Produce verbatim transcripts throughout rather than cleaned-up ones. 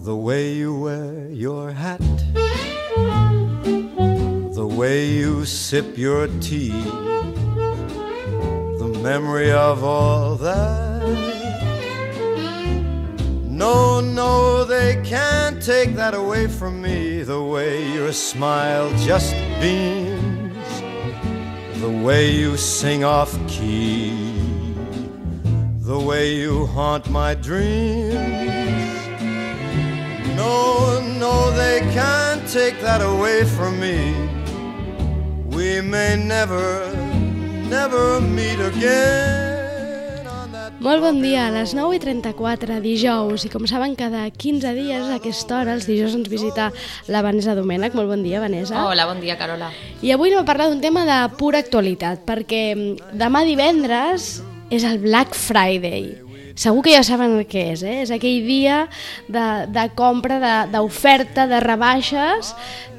The way you wear your hat, the way you sip your tea, the memory of all that. No, no, they can't take that away from me. The way your smile just beams, the way you sing off key, the way you haunt my dreams. No, no, they can't take that away from me. We may never, never meet again on that... Molt bon dia, a les nou i trenta-quatre, dijous, i com saben, cada quinze dies a aquesta hora, els dijous ens visita la Vanessa Domènech. Molt bon dia, Vanessa. Hola, bon dia, Carola. I avui anem a parlar d'un tema de pura actualitat, perquè demà divendres és el Black Friday. Segur que ja saben el que és, eh? És aquell dia de, de compra, d'oferta, de, de rebaixes,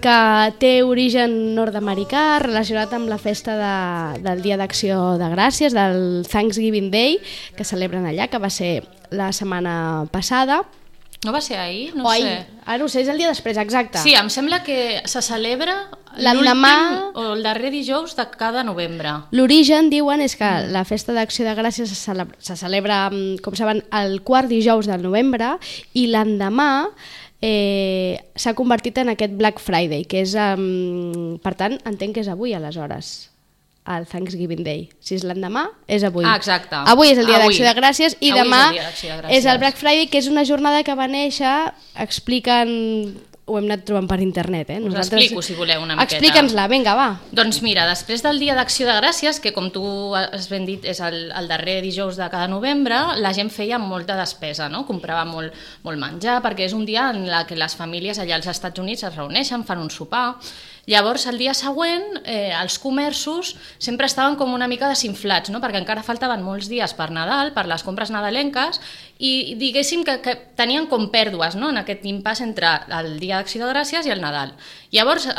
que té origen nord-americà, relacionat amb la festa de, del Dia d'Acció de Gràcies, del Thanksgiving Day, que celebren allà, que va ser la setmana passada. No va ser ahir? No o sé. Ahir. Ah, no ho sé, és el dia després, exacte. Sí, em sembla que se celebra l'endemà o el darrer dijous de cada novembre. L'origen, diuen, és que la festa d'Acció de Gràcies se celebra, se celebra, com saben, el quart dijous del novembre, i l'endemà eh, s'ha convertit en aquest Black Friday, que és, um, per tant, entenc que és avui, aleshores, el Thanksgiving Day. Si és l'endemà, és avui. Ah, exacte. Avui és el dia d'Acció de Gràcies i avui demà és el, és el Black Friday, que és una jornada que va néixer, expliquen... Ho hem anat trobant per internet, eh? Us Nosaltres... explico, si voleu, una miqueta. Explica'ns-la, vinga, va. Doncs mira, després del Dia d'Acció de Gràcies, que com tu has ben dit és el, el darrer dijous de cada novembre, la gent feia molta despesa, no? Comprava molt, molt menjar, perquè és un dia en què les famílies allà als Estats Units es reuneixen, fan un sopar. Llavors, el dia següent, eh, els comerços sempre estaven com una mica desinflats, no? Perquè encara faltaven molts dies per Nadal, per les compres nadalenques, i diguéssim que, que tenien com pèrdues, no? En aquest impàs entre el Dia d'Acció de Gràcies i el Nadal. Llavors eh,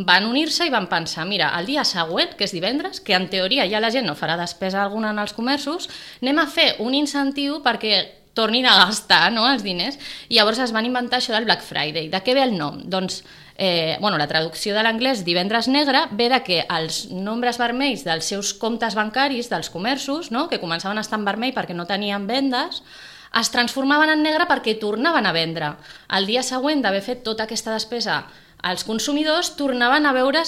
van unir-se i van pensar, mira, el dia següent, que és divendres, que en teoria ja la gent no farà despesa alguna en els comerços, anem a fer un incentiu perquè tornin a gastar, no?, els diners. I llavors es van inventar això del Black Friday. De què ve el nom? Doncs Eh, bueno, la traducció de l'anglès divendres negre ve de que els nombres vermells dels seus comptes bancaris dels comerços, no?, que començaven a estar en vermell perquè no tenien vendes, es transformaven en negre perquè tornaven a vendre. El dia següent d'haver fet tota aquesta despesa, els consumidors tornaven a veure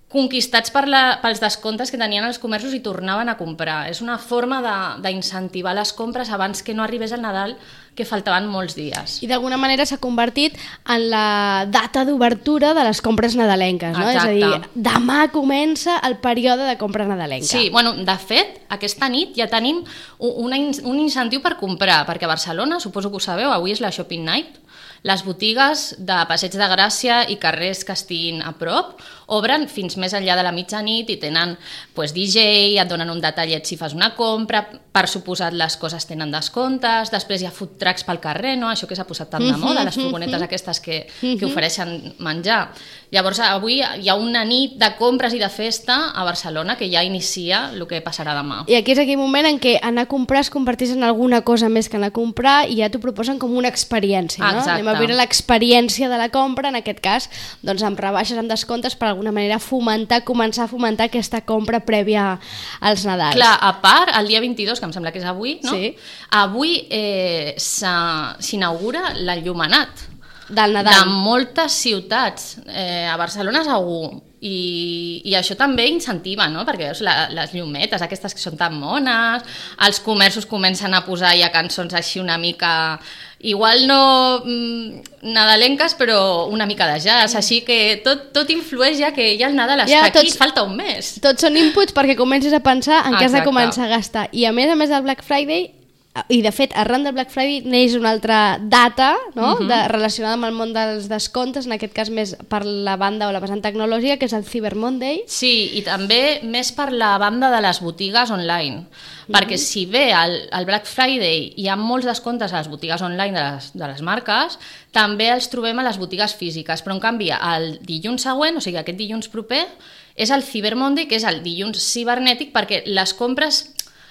conquistats per la, pels descomptes que tenien els comerços i tornaven a comprar. És una forma d'incentivar les compres abans que no arribés el Nadal, que faltaven molts dies. I d'alguna manera s'ha convertit en la data d'obertura de les compres nadalenques, no? Exacte. És a dir, demà comença el període de compra nadalenca. Sí, bueno, de fet, aquesta nit ja tenim una, un incentiu per comprar, perquè a Barcelona, suposo que ho sabeu, avui és la Shopping Night, les botigues de Passeig de Gràcia i carrers que estiguin a prop obren fins més enllà de la mitjanit i tenen pues, D J, et donen un detallet si fas una compra, per suposat les coses tenen descomptes, després hi ha food trucks pel carrer, no? Això que s'ha posat tant de moda, les furgonetes aquestes que, que ofereixen menjar. Llavors avui hi ha una nit de compres i de festa a Barcelona que ja inicia el que passarà demà. I aquí és aquell moment en què anar a comprar es converteix en alguna cosa més que anar a comprar i ja t'ho proposen com una experiència, no? Exacte. Anem a veure l'experiència de la compra, en aquest cas, doncs amb rebaixes, amb descomptes, per alguna manera fomentar, començar a fomentar aquesta compra prèvia als Nadals. Clar, a part, el dia vint-i-dos, que em sembla que és avui, no? Sí. Avui eh, s'inaugura l'enllumenat del Nadal. De moltes ciutats, eh, a Barcelona segur, i, i això també incentiva, no? Perquè veus la, les llumetes aquestes que són tan mones, els comerços comencen a posar ja cançons així una mica, igual no mm, nadalenques, però una mica de jazz, així que tot, tot influeix ja que ja el Nadal està ja, tots, aquí, falta un mes. Tots són inputs perquè comencis a pensar en què has de Exacte. començar a gastar. I a més a més del Black Friday, i de fet arran del Black Friday neix una altra data, no? uh-huh. de, relacionada amb el món dels descomptes, en aquest cas més per la banda o la vessant tecnològica, que és el Cyber Monday. Sí, i també més per la banda de les botigues online, uh-huh. perquè si bé el, el Black Friday hi ha molts descomptes a les botigues online de les, de les marques, també els trobem a les botigues físiques, però en canvi el dilluns següent, o sigui aquest dilluns proper, és el Cyber Monday, que és el dilluns cibernètic, perquè les compres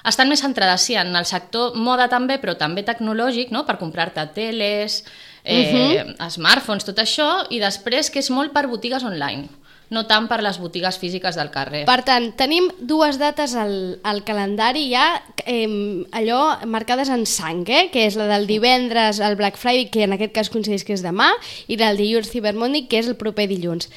estan més centrades sí, en el sector moda també, però també tecnològic, no? Per comprar-te teles, eh, uh-huh. smartphones, tot això, i després que és molt per botigues online, no tant per les botigues físiques del carrer. Per tant, tenim dues dates al, al calendari ja eh, allò marcades en sang, eh? Que és la del divendres, el Black Friday, que en aquest cas coincideix que és demà, i la del dilluns Cyber Monday, que és el proper dilluns.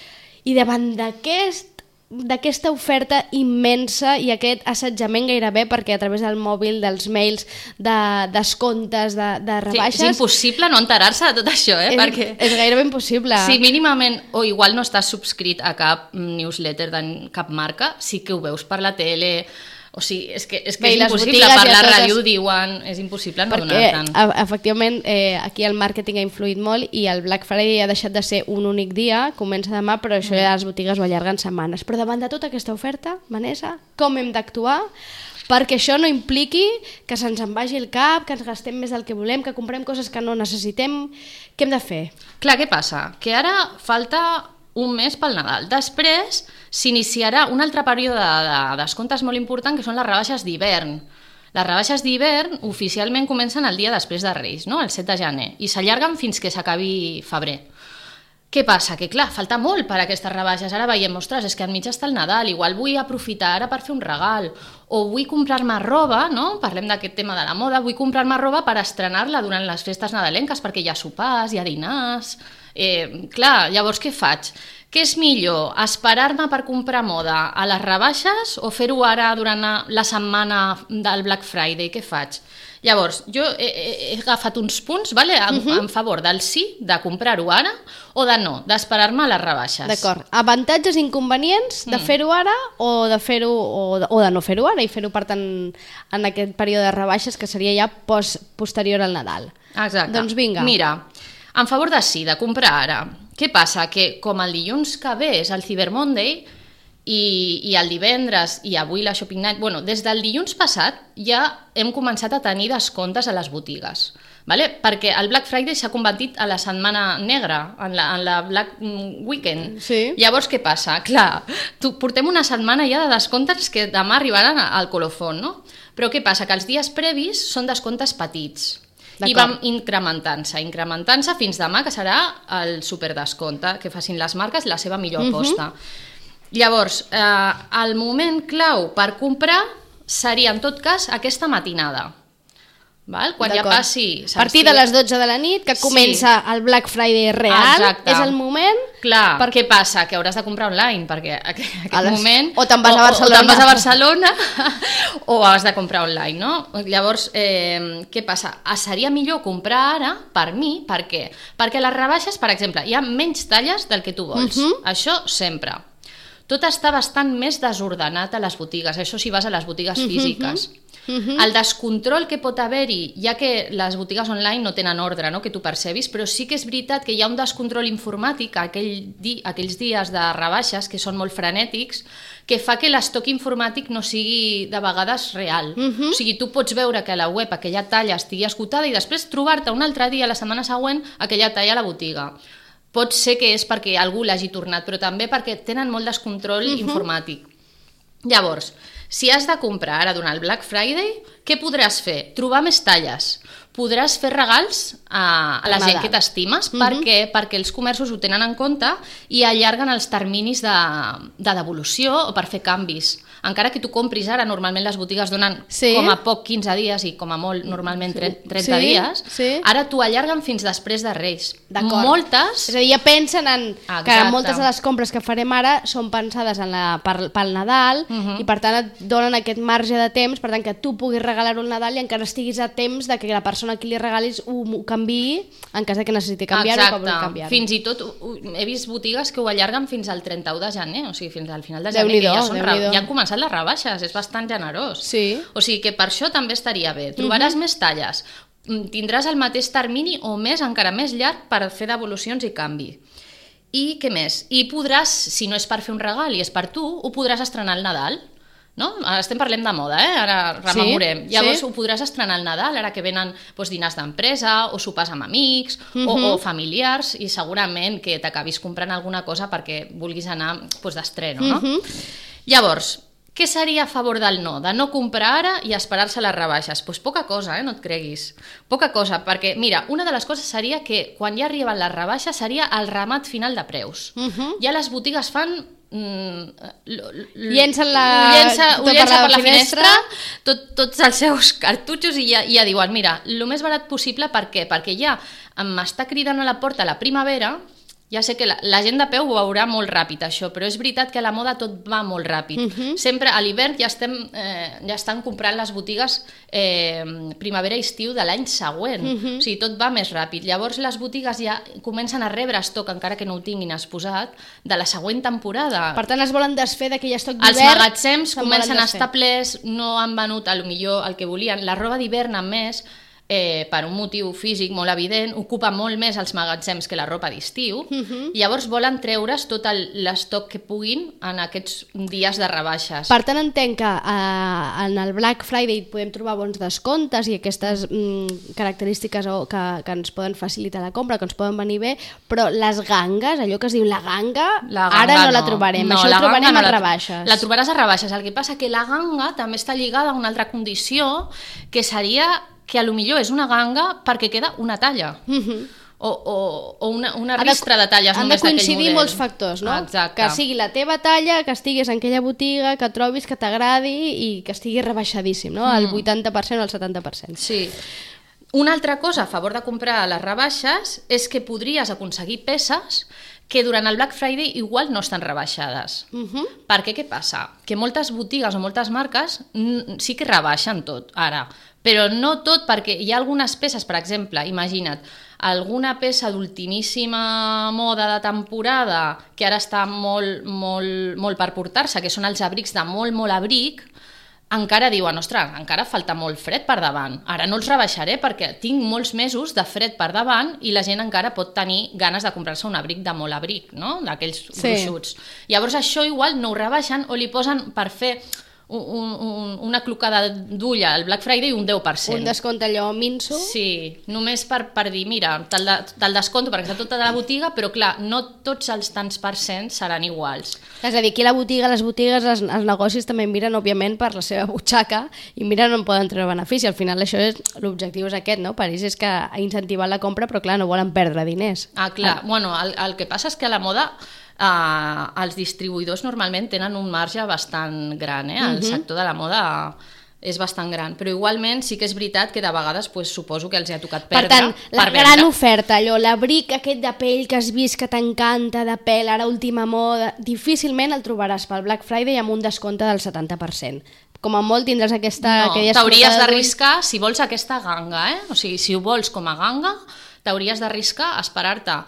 I davant d'aquest d'aquesta oferta immensa i aquest assetjament gairebé, perquè a través del mòbil, dels mails, de descomptes, de, de rebaixes... Sí, és impossible no enterar-se de tot això, eh? És, perquè... és gairebé impossible. Si mínimament, o igual no estàs subscrit a cap newsletter de cap marca, sí que ho veus per la tele... O sigui, és que és, que Bé, és impossible, per la totes... ràdio diuen, és impossible no donar-te'n. Perquè, efectivament, eh, aquí el màrqueting ha influït molt i el Black Friday ha deixat de ser un únic dia, comença demà, però això ja les botigues ho allarguen setmanes. Però davant de tota aquesta oferta, Vanessa, com hem d'actuar perquè això no impliqui que se'ns en vagi el cap, que ens gastem més del que volem, que comprem coses que no necessitem? Què hem de fer? Clar, què passa? Que ara falta un mes pel Nadal. Després s'iniciarà un altre període de, de descomptes molt important, que són les rebaixes d'hivern. Les rebaixes d'hivern oficialment comencen el dia després de Reis, no? El set de gener, i s'allarguen fins que s'acabi febrer. Què passa? Que clar, falta molt per a aquestes rebaixes. Ara veiem, ostres, és que enmig està el Nadal, igual vull aprofitar ara per fer un regal, o vull comprar-me roba, no? Parlem d'aquest tema de la moda, vull comprar-me roba per estrenar-la durant les festes nadalenques, perquè hi ha sopars, hi ha dinars... Eh, clar, llavors què faig? Què és millor? Esperar-me per comprar moda a les rebaixes o fer-ho ara durant la setmana del Black Friday? Què faig? Llavors, jo he, he agafat uns punts, vale, en, uh-huh. en favor del sí, de comprar-ho ara, o de no, d'esperar-me a les rebaixes. D'acord. Avantatges i inconvenients de mm. fer-ho ara o de fer-ho o de, o de no fer-ho ara i fer-ho, per tant, en aquest període de rebaixes que seria ja post, posterior al Nadal. Exacte. Doncs vinga. Mira, en favor de sí, de comprar ara. Què passa? Que com el dilluns que ve és el Cyber Monday i, i el divendres i avui la Shopping Night, bueno, des del dilluns passat ja hem començat a tenir descomptes a les botigues, vale? Perquè el Black Friday s'ha convertit a la setmana negra, en la, en la Black Weekend. Sí. Llavors què passa? Clar, tu, portem una setmana ja de descomptes que demà arribaran al colofón, no? Però què passa? Que els dies previs són descomptes petits. I vam incrementant-se, incrementant-se fins demà, que serà el superdescompte, que facin les marques la seva millor aposta. Uh-huh. Llavors, eh, el moment clau per comprar seria, en tot cas, aquesta matinada. Val? Quan ja passi... A partir de les dotze de la nit, que comença sí. el Black Friday real, Exacte. És el moment... Clar, per... què passa? Que hauràs de comprar online, perquè aquest les... moment... O te'n vas a Barcelona. O, o te'n vas a Barcelona, o has de comprar online, no? Llavors, eh, què passa? Seria millor comprar ara, per mi, per què? Perquè les rebaixes, per exemple, hi ha menys talles del que tu vols. Uh-huh. Això sempre. Tot està bastant més desordenat a les botigues, això si vas a les botigues uh-huh. físiques. Uh-huh. El descontrol que pot haver-hi, ja que les botigues online no tenen ordre, no? Que tu percebis, però sí que és veritat que hi ha un descontrol informàtic aquell di aquells dies de rebaixes que són molt frenètics, que fa que l'estoc informàtic no sigui de vegades real. Uh-huh. O sigui, tu pots veure que a la web aquella talla estigui esgotada i després trobar-te un altre dia, la setmana següent, aquella talla a la botiga. Pot ser que és perquè algú l'hagi tornat, però també perquè tenen molt descontrol uh-huh. informàtic. Llavors, si has de comprar ara durant el Black Friday, què podràs fer? Trobar més talles. Podràs fer regals a, a la gent que t'estimes. Uh-huh. Per què? Perquè els comerços ho tenen en compte i allarguen els terminis de, de devolució o per fer canvis. Encara que tu compris ara, normalment les botigues donen sí. com a poc quinze dies i com a molt normalment trenta sí. dies, sí. ara t'ho allarguen fins després de Reis. Moltes... És a dir, ja pensen en Exacte. Que moltes de les compres que farem ara són pensades en la, per, pel Nadal uh-huh. i per tant et donen aquest marge de temps, per tant que tu puguis regalar-ho al Nadal i encara estiguis a temps de que la persona a qui li regalis ho, ho canviï en cas de que necessiti canviar-ho o que vulgui canviar-ho. Fins i tot he vist botigues que ho allarguen fins al trenta-u de gener, o sigui, fins al final de gener, que ja, són, ja han començat les rebaixes, és bastant generós. Sí. O sigui que per això també estaria bé. Trobaràs uh-huh. més talles, tindràs el mateix termini o més, encara més llarg, per fer devolucions i canvi. I què més? I podràs, si no és per fer un regal i és per tu, ho podràs estrenar al Nadal. No? Ara estem parlem de moda, eh? Ara rememorem. Sí, Llavors sí. ho podràs estrenar al Nadal, ara que venen doncs, dinars d'empresa o sopars amb amics uh-huh. o, o familiars, i segurament que t'acabis comprant alguna cosa perquè vulguis anar doncs, d'estreno. No? Uh-huh. Llavors, Què seria a favor del no? De no comprar ara i esperar-se a les rebaixes? Doncs pues poca cosa, eh? No et creguis. Poca cosa, perquè, mira, una de les coses seria que quan ja arriben les rebaixes seria el remat final de preus. Uh-huh. Ja les botigues fan... Mm, llencen la... Llença, ho llença per la, la finestra, finestra tot, tots els seus cartutxos i ja, ja diuen, mira, el més barat possible, per què? Perquè ja m'està cridant a la porta la primavera. Ja sé que la, la gent de peu ho veurà molt ràpid, això, però és veritat que a la moda tot va molt ràpid. Uh-huh. Sempre a l'hivern ja, estem, eh, ja estan comprant les botigues eh, primavera i estiu de l'any següent. Uh-huh. O sigui, tot va més ràpid. Llavors les botigues ja comencen a rebre estoc, encara que no ho tinguin exposat, de la següent temporada. Per tant, es volen desfer d'aquell estoc d'hivern. Els magatzems comencen a estar plens, no han venut a lo millor el que volien. La roba d'hivern, a més, Eh, per un motiu físic molt evident, ocupa molt més els magatzems que la ropa d'estiu, uh-huh. Llavors volen treure's tot l'estoc que puguin en aquests dies de rebaixes. Per tant, entenc que eh, en el Black Friday podem trobar bons descontes i aquestes mm, característiques o, que, que ens poden facilitar la compra, que ens poden venir bé, però les gangues, allò que es diu la ganga, la ganga ara no, no la no. trobarem, no, això ho trobarem no a la, rebaixes. La trobaràs a rebaixes, el que passa que la ganga també està lligada a una altra condició, que seria que a lo millor és una ganga perquè queda una talla. Uh-huh. O, o, o una, una ristra de, de talles només d'aquell model. Han de coincidir molts factors, no? Exacte. Que sigui la teva talla, que estiguis en aquella botiga, que trobis, que t'agradi i que estigui rebaixadíssim, no? El vuitanta per cent o el setanta per cent. Sí. Una altra cosa a favor de comprar a les rebaixes és que podries aconseguir peces que durant el Black Friday igual no estan rebaixades. Uh-huh. Perquè què passa? Que moltes botigues o moltes marques sí que rebaixen tot, ara, però no tot, perquè hi ha algunes peces, per exemple, imagina't, alguna peça d'ultimíssima moda de temporada que ara està molt, molt, molt per portar-se, que són els abrics de molt, molt abric, encara diuen, ostres, encara falta molt fred per davant. Ara no els rebaixaré perquè tinc molts mesos de fred per davant i la gent encara pot tenir ganes de comprar-se un abric de molt abric, no? D'aquells sí. gruixuts. Llavors això igual no ho rebaixen o li posen per fer un, un, una clocada d'ull al Black Friday un deu per cent. Un descompte allò minso. Sí, només per, per dir, mira, te'l, de, te'l desconto perquè està tota la botiga, però clar, no tots els tants per cent seran iguals. És a dir, aquí la botiga, les botigues, els, els negocis també miren, òbviament, per la seva butxaca i miren on poden treure benefici. Al final això és, l'objectiu és aquest, no? París és que ha incentivat la compra, però clar, no volen perdre diners. Ah, clar, ah. Bueno, el, el que passa és que a la moda Uh, els distribuïdors normalment tenen un marge bastant gran, eh? El uh-huh. sector de la moda és bastant gran, però igualment sí que és veritat que de vegades pues, suposo que els ha tocat perdre. Per tant, la per gran vendre. oferta, allò, l'abric aquest de pell que has vist que t'encanta, de pell, ara última moda, difícilment el trobaràs pel Black Friday amb un descompte del setanta per cent. Com a molt tindràs aquesta... No, t'hauries d'arriscar, si vols aquesta ganga, eh? O sigui, si ho vols com a ganga, t'hauries d'arriscar a esperar-te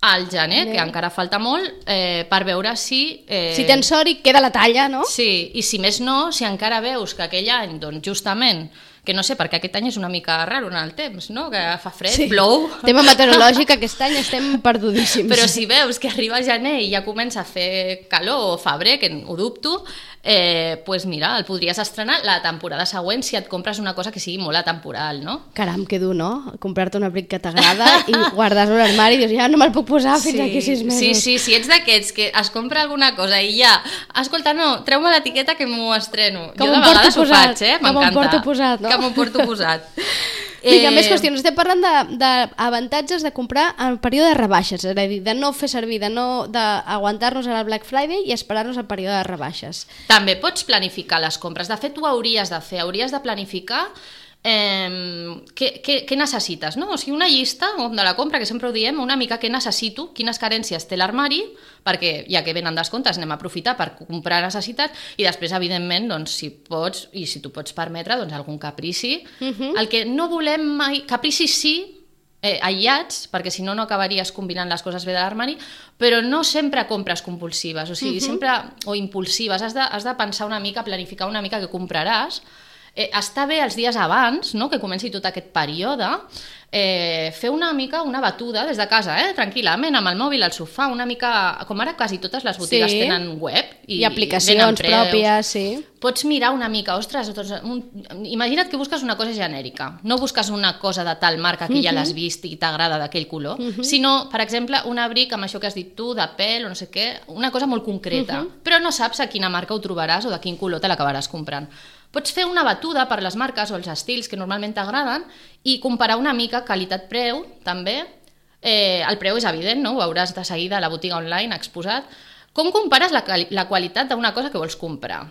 al gener, que encara falta molt, eh, per veure si... Eh... Si tens sort i queda la talla, no? Sí, i si més no, si encara veus que aquell any, doncs justament, que no sé, perquè aquest any és una mica raro en el temps, no? Que fa fred, sí. Plou... Tema meteorològic, aquest any estem perdudíssims. Però si veus que arriba gener i ja comença a fer calor, o febrer, que ho dubto, eh, pues mira, el podries estrenar la temporada següent si et compres una cosa que sigui molt atemporal, no? Caram, que dur, no? Comprar-te un abric que t'agrada i guardar-lo a l'armari i dius, ja no me'l puc posar fins sí, aquí sis mesos. Sí, sí, si ets d'aquests que es compra alguna cosa i ja, escolta, no, treu-me l'etiqueta que m'ho estreno. Que jo de vegades ho faig, eh? Que m'ho porto posat, no? Que m'ho porto posat. Vinga, eh... més qüestions. Estem parlant d'avantatges de, de comprar en període de rebaixes, és a dir, de no fer servir, de no d'aguantar-nos al Black Friday i esperar-nos al període de rebaixes. També pots planificar les compres. De fet, ho hauries de fer. Hauries de planificar eh, què, què, què necessites, no? O sigui, una llista de la compra, que sempre ho diem, una mica què necessito, quines carències té l'armari, perquè ja que venen descomptes anem a aprofitar per comprar necessitats i després, evidentment, doncs, si pots i si tu pots permetre, doncs, algun caprici. Uh-huh. El que no volem mai... Capricis sí, eh, aïllats, perquè si no no acabaries combinant les coses bé de l'armari, però no sempre compres compulsives, o sigui, uh-huh. sempre, o impulsives, has de, has de pensar una mica, planificar una mica què compraràs, eh, està bé els dies abans, no?, que comenci tot aquest període, eh, fer una mica una batuda des de casa, eh, tranquil·lament, amb el mòbil al sofà, una mica, com ara quasi totes les botigues sí. tenen web i, i aplicacions preus, pròpies, sí. Pots mirar una mica, ostres, doncs, un, imagina't que busques una cosa genèrica, no busques una cosa de tal marca que uh-huh. ja l'has vist i t'agrada d'aquell color, uh-huh. sinó, per exemple, un abric amb això que has dit tu, de pèl o no sé què, una cosa molt concreta, uh-huh. però no saps a quina marca ho trobaràs o de quin color te l'acabaràs comprant. Pots fer una batuda per les marques o els estils que normalment t'agraden i comparar una mica qualitat-preu, també. Eh, el preu és evident, no? Ho veuràs de seguida a la botiga online exposat. Com compares la, la qualitat d'una cosa que vols comprar?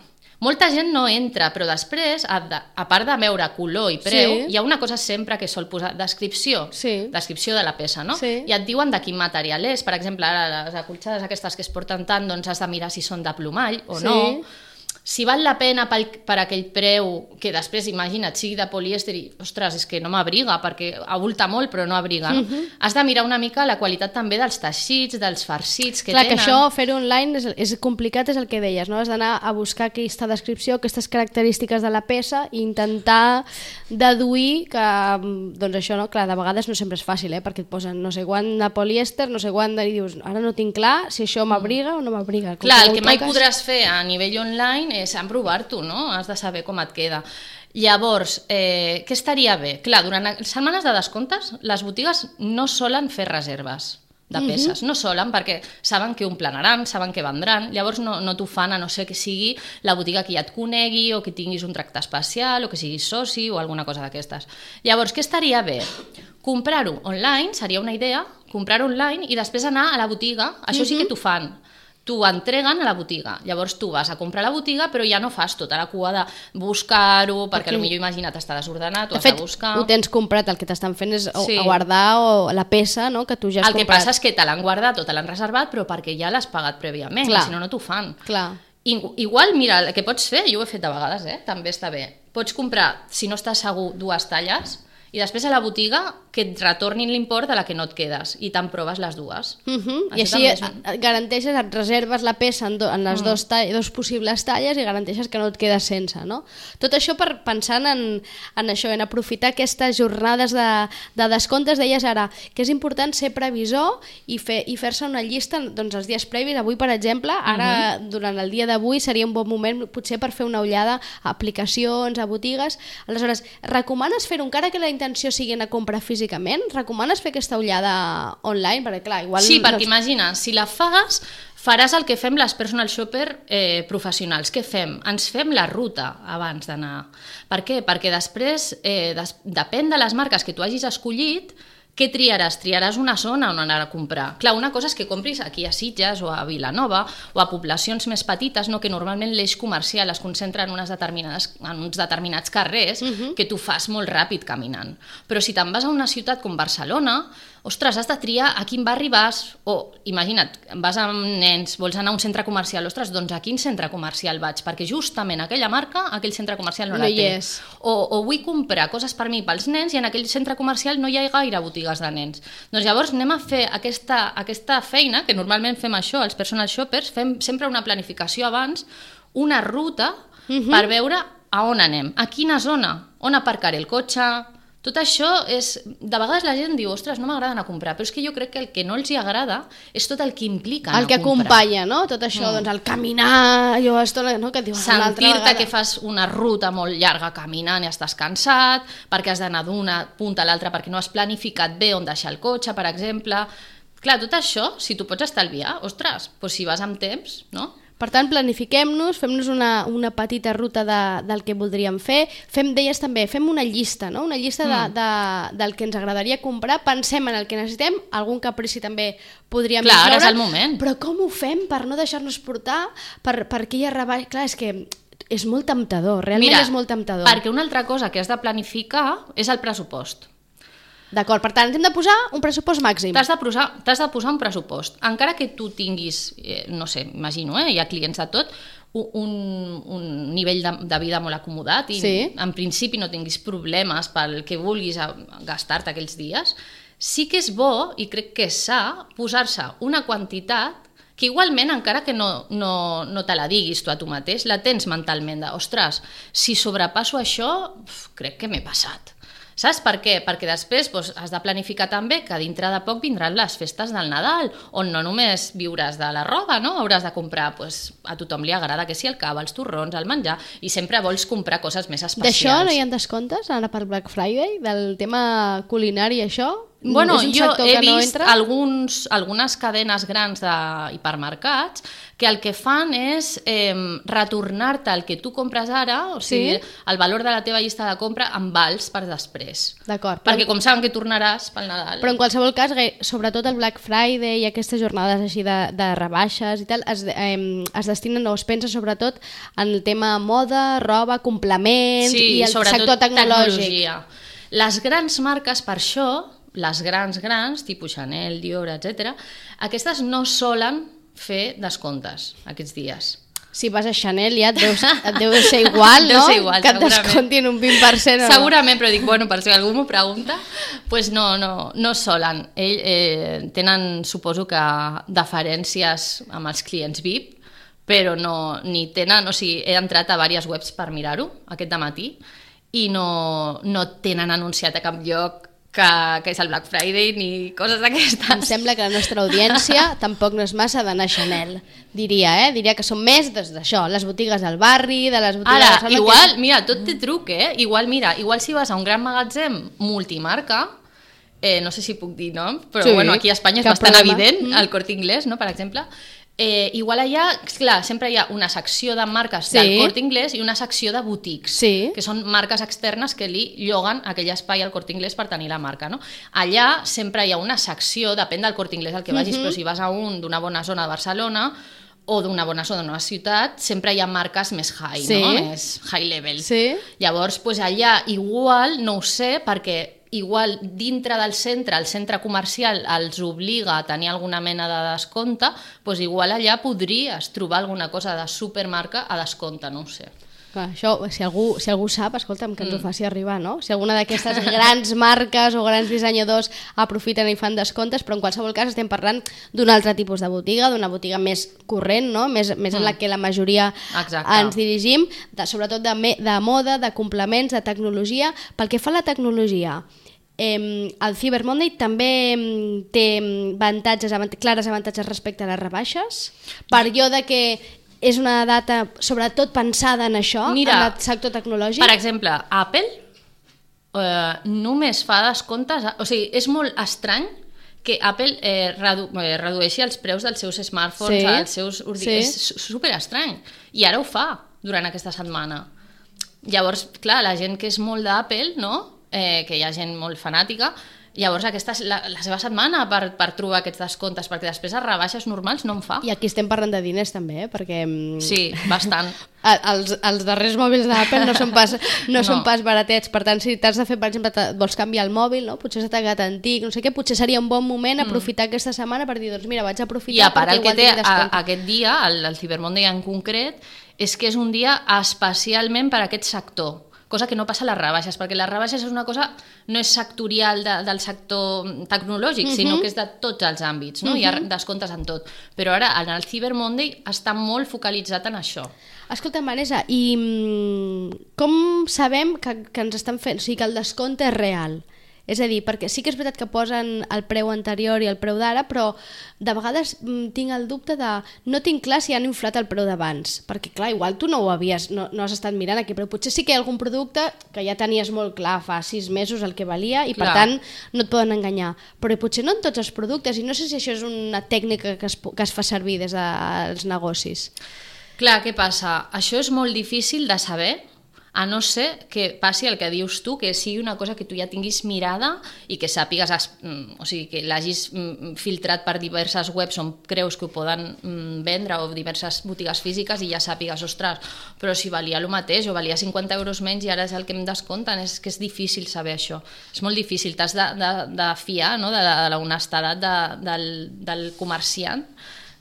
Molta gent no entra, però després, a, de, a part de veure color i preu, sí. hi ha una cosa sempre que sol posar, descripció, sí. descripció de la peça, no? Sí. I et diuen de quin material és. Per exemple, ara les acolxades aquestes que es porten tant, doncs has de mirar si són de plomall o sí. no. Si val la pena pel, per aquell preu, que després, imagina't, sigui de polièster i, ostres, és que no m'abriga, perquè avulta molt però no abriga. No? Uh-huh. Has de mirar una mica la qualitat també dels teixits, dels farcits que Clar, tenen. Clar, que això, fer-ho online és, és complicat, és el que deies, no? Has d'anar a buscar aquesta descripció, aquestes característiques de la peça i intentar deduir que, doncs això, no? Clar, de vegades no sempre és fàcil, eh? Perquè et posen no sé quant de polièster, no sé quant de... i dius, ara no tinc clar si això m'abriga o no m'abriga. Clar, el que mai podràs fer a nivell online és emprovar-t'ho, no? Has de saber com et queda. Llavors, eh, què estaria bé? Clar, durant setmanes de descomptes, les botigues no solen fer reserves de peces, uh-huh. no solen, perquè saben que ho planaran, saben que vendran, llavors no, no t'ho fan a no ser que sigui la botiga que ja et conegui o que tinguis un tracte especial o que siguis soci o alguna cosa d'aquestes. Llavors, què estaria bé? Comprar-ho online, seria una idea, comprar-ho online i després anar a la botiga, això uh-huh. sí que t'ho fan. T'ho entreguen a la botiga, llavors tu vas a comprar a la botiga però ja no fas tota la cua de buscar-ho, perquè okay. potser imagina't està desordenat, ho has de buscar. Ho tens comprat, el que t'estan fent és sí. guardar o la peça, no?, que tu ja has el comprat. El que passa és que te l'han guardat o te l'han reservat però perquè ja l'has pagat prèviament, Clar. Si no, no t'ho fan. Clar. Igual, mira, el que pots fer, jo ho he fet de vegades, eh? També està bé, pots comprar, si no estàs segur, dues talles i després a la botiga que et retornin l'import de la que no et quedes i te'n proves les dues. Uh-huh. I així és... garanteixes, et reserves la peça en, do, en les mm. dos, tall, dos possibles talles i garanteixes que no et quedes sense, no? Tot això per pensant en, en això, en aprofitar aquestes jornades de, de descomptes. Deies ara que és important ser previsor i, fer, i fer-se una llista doncs, els dies previs. Avui, per exemple, ara uh-huh. durant el dia d'avui seria un bon moment potser per fer una ullada a aplicacions, a botigues. Aleshores, recomanes fer-ho encara que la intenció sigui anar a comprar físicament? Recomanes fer aquesta ullada online? Perquè, clar, igual... Sí, perquè imagina, si la fas, faràs el que fem les personal shopper eh, professionals. Què fem? Ens fem la ruta abans d'anar. Per què? Perquè després, eh, des, depèn de les marques que tu hagis escollit, què triaràs? Triaràs una zona on anar a comprar. Clar, una cosa és que compris aquí a Sitges o a Vilanova o a poblacions més petites, no? Que normalment l'eix comercial es concentra en, unes determinades, en uns determinats carrers uh-huh. que tu fas molt ràpid caminant. Però si te'n vas a una ciutat com Barcelona, ostres, has de triar a quin barri vas, o imagina't, vas amb nens, vols anar a un centre comercial, ostres, doncs a quin centre comercial vaig? Perquè justament aquella marca, aquell centre comercial no, no la té. És. O, o vull comprar coses per mi pels nens i en aquell centre comercial no hi ha gaire botigues de nens. Doncs llavors anem a fer aquesta, aquesta feina, que normalment fem això, els personal shoppers, fem sempre una planificació abans, una ruta uh-huh. per veure a on anem, a quina zona, on aparcaré el cotxe. Tot això és... De vegades la gent diu, ostres, no m'agrada anar a comprar, però és que jo crec que el que no els hi agrada és tot el que implica anar a comprar. El que acompanya, no? Tot això, mm. doncs el caminar, jo estona, no? Que et diuen sentir-te que fas una ruta molt llarga caminant i estàs cansat, perquè has d'anar d'una punta a l'altra, perquè no has planificat bé on deixar el cotxe, per exemple. Clar, tot això, si tu pots estalviar, ostres, doncs si vas amb temps, no? Per tant, planifiquem-nos, fem-nos una, una petita ruta de, del que voldríem fer. Fem, deies també, fem una llista, no? Una llista de, de, del que ens agradaria comprar, pensem en el que necessitem, algun caprici també podríem incloure. Clar, ara és el moment. Però com ho fem per no deixar-nos portar per, per aquella rebaixa? Clar, és que és molt temptador, realment Mira, és molt temptador. Perquè una altra cosa que has de planificar és el pressupost. D'acord, per tant, hem de posar un pressupost màxim. T'has de posar, t'has de posar un pressupost. Encara que tu tinguis, eh, no sé, imagino, eh, hi ha clients de tot, un, un nivell de, de vida molt acomodat i sí. en principi no tinguis problemes pel que vulguis gastar-te aquells dies, sí que és bo, i crec que és sa, posar-se una quantitat que igualment, encara que no, no, no te la diguis tu a tu mateix, la tens mentalment de, ostres, si sobrepasso això, crec que m'he passat. Saps per què? Perquè després doncs, has de planificar també que dintre de poc vindran les festes del Nadal, on no només viuràs de la roba, no? Hauràs de comprar, doncs, a tothom li agrada que sí el cava, els torrons, el menjar, i sempre vols comprar coses més especials. D'això no hi ha descomptes ara per Black Friday? Del tema culinari, això? Bueno, jo he no vist entra? alguns, algunes cadenes grans d'hipermercats que el que fan és eh, retornar-te el que tu compres ara, o sigui, Sí? el valor de la teva llista de compra en vals per després. D'acord. Perquè com saben que tornaràs pel Nadal... Però en qualsevol cas, gai- sobretot el Black Friday i aquestes jornades així de, de rebaixes i tal, es, eh, es destinen o es pensa sobretot en el tema moda, roba, complements sí, i el sobretot sector tecnològic. tecnologia. Les grans marques, per això, les grans grans, tipus Chanel, Dior, etcètera, aquestes no solen fer descomptes aquests dies. Si vas a Chanel ja et deu, et deu ser igual, Deu no? ser igual, que et segurament. descontin un vint per cent o no? Segurament, però dic, bueno, per si algú m'ho pregunta, pues no, no, no solen. Ell, eh, tenen, suposo que, deferències amb els clients V I P, però no, ni tenen, o sigui, he entrat a diverses webs per mirar-ho aquest dematí i no, no tenen anunciat a cap lloc que, que és el Black Friday ni coses d'aquestes. Em sembla que la nostra audiència tampoc no és massa d'anar a Chanel, diria, eh? Diria que són més des d'això, les botigues del barri, de les botigues... Ara, de Barcelona, igual, que... mira, tot té truc, eh? Igual, mira, igual si vas a un gran magatzem multimarca, eh, no sé si puc dir nom, però Sí, bueno, aquí a Espanya és cap bastant problema. evident, Mm. el Corte Inglés, no?, per exemple. Eh, igual allà, clar, sempre hi ha una secció de marques Sí. del Corte Inglés i una secció de boutiques, Sí. que són marques externes que li lloguen aquell espai al Corte Inglés per tenir la marca, no? Allà sempre hi ha una secció, depèn del Corte Inglés al que vagis, Mhm. però si vas a un d'una bona zona de Barcelona o d'una bona zona d'una ciutat, sempre hi ha marques més high, Sí. no? Més high level. Sí. Llavors, pues allà igual, no ho sé, perquè igual dintre del centre, el centre comercial els obliga a tenir alguna mena de descompte, doncs igual allà podries trobar alguna cosa de supermarca a descompte, no ho sé. Clar, això, si algú, si algú sap, escolta'm, que ens ho faci arribar, no? Si alguna d'aquestes grans marques o grans dissenyadors aprofiten i fan descomptes, però en qualsevol cas estem parlant d'un altre tipus de botiga, d'una botiga més corrent, no? Més, més en la que la majoria Exacte. ens dirigim, de, sobretot de, me, de moda, de complements, de tecnologia. Pel que fa a la tecnologia, Eh, el Cyber Monday també em, té avantatges, avant clares avantatges respecte a les rebaixes, per allò de que és una data sobretot pensada en això, Mira, en el sector tecnològic. Per exemple, Apple eh, només fa descomptes, o sigui, és molt estrany que Apple eh, redu eh, redueixi els preus dels seus smartphones, Sí, als seus ordinadors. sí. És super estrany. I ara ho fa durant aquesta setmana. Llavors, clar, la gent que és molt d'Apple, no? eh, que hi ha gent molt fanàtica, llavors aquesta és la, la seva setmana per, per trobar aquests descomptes, perquè després a rebaixes normals no en fa. I aquí estem parlant de diners també, eh? Perquè mm, Sí, bastant. a- els, els darrers mòbils d'Apple no, són pas, no, no són No. pas baratets, per tant, si t'has de fer, per exemple, te- vols canviar el mòbil, no? Potser s'ha tagat antic, no sé què, potser seria un bon moment aprofitar aquesta setmana per dir, doncs mira, vaig aprofitar I a part perquè el que igual té tinc a, descompte. aquest dia, el, el Cyber Monday en concret, és que és un dia especialment per a aquest sector, cosa que no passa a les rebaixes, perquè les rebaixes és una cosa, no és sectorial de, del sector tecnològic, Mhm. sinó que és de tots els àmbits, no? Hi ha descomptes en tot. Però ara, en el Cyber Monday, està molt focalitzat en això. Escolta, Vanessa, i mm, com sabem que, que ens estan fent, o sigui, que el descompte és real? És a dir, perquè sí que és veritat que posen el preu anterior i el preu d'ara, però de vegades mm, tinc el dubte de... No tinc clar si han inflat el preu d'abans, perquè clar, igual tu no ho havies, no, no has estat mirant aquí, però potser sí que hi ha algun producte que ja tenies molt clar fa sis mesos el que valia i per Clar. tant no et poden enganyar. Però potser no en tots els productes, i no sé si això és una tècnica que es, que es fa servir des dels negocis. Clar, què passa? Això és molt difícil de saber, a no ser que passi el que dius tu, que sigui una cosa que tu ja tinguis mirada i que sàpigues, o sigui, que l'hagis filtrat per diverses webs on creus que ho poden vendre o diverses botigues físiques i ja sàpigues, ostres, però si valia el mateix o valia cinquanta euros menys i ara és el que em descompten, és que és difícil saber això. És molt difícil, t'has de, de, de fiar, no?, de, de l'honestedat de, del, del comerciant,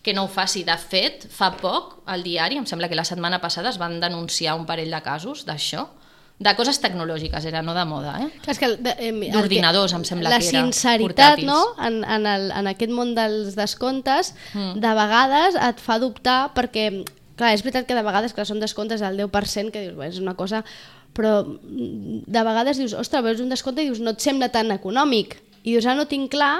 que no ho faci. De fet, fa poc, al diari, em sembla que la setmana passada es van denunciar un parell de casos d'això, De coses tecnològiques era, no de moda, eh? És que eh, d'ordinadors, em sembla la que era. La sinceritat, portàtils. no?, en, en, el, en aquest món dels descomptes, mm. de vegades et fa dubtar perquè, clar, és veritat que de vegades que són descomptes del deu per cent, que dius, bé, és una cosa, però de vegades dius, ostres, veus un descompte i dius, no et sembla tan econòmic. I dius, ah, no tinc clar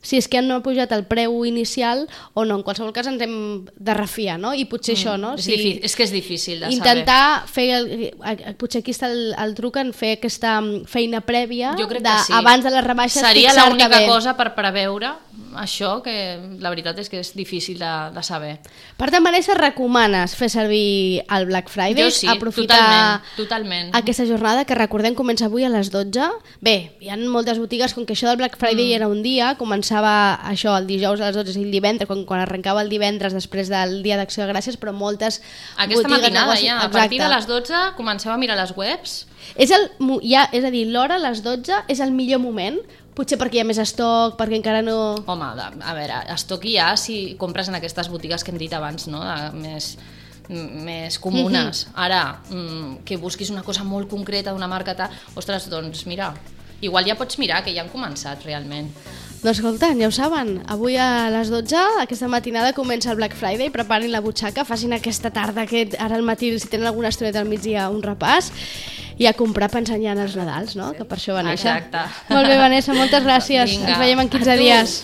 si és que no ha pujat el preu inicial o no. En qualsevol cas ens hem de refiar, no? I potser mm, això, no? És, si difícil, és que és difícil de intentar saber. Fer, el, potser aquí està el, el truc en fer aquesta feina prèvia de, sí. abans de les rebaixes. Seria l'única cosa per preveure això, que la veritat és que és difícil de, de saber. Per tant, Vanessa, recomanes fer servir el Black Friday? Jo sí, aprofitar totalment, totalment. aquesta jornada, que recordem comença avui a les dotze. Bé, hi ha moltes botigues, com que això del Black Friday mm. era un dia, començava això el dijous a les dotze i el divendres, quan, quan arrencava el divendres després del dia d'Acció de Gràcies, però moltes aquesta botigues... matinada negocis... ja, a Exacte. partir de les dotze comenceu a mirar les webs. És, el, ja, és a dir, l'hora a les dotze és el millor moment, potser perquè hi ha més estoc, perquè encara no... Home, a veure, estoc hi ha si compres en aquestes botigues que hem dit abans, no? De, més, més comunes. Mm-hmm. Ara, mm, que busquis una cosa molt concreta d'una marca tal, ostres, doncs mira, igual ja pots mirar, que ja han començat realment. Doncs escolta, ja ho saben, avui a les dotze, aquesta matinada, comença el Black Friday, preparin la butxaca, facin aquesta tarda, aquest, ara al matí, si tenen alguna estoneta al migdia, un repàs, i a comprar pensant ja en els Nadals, no? Que per això va néixer. Exacte. Molt bé, Vanessa, moltes gràcies. Vinga, ens veiem en quinze dies.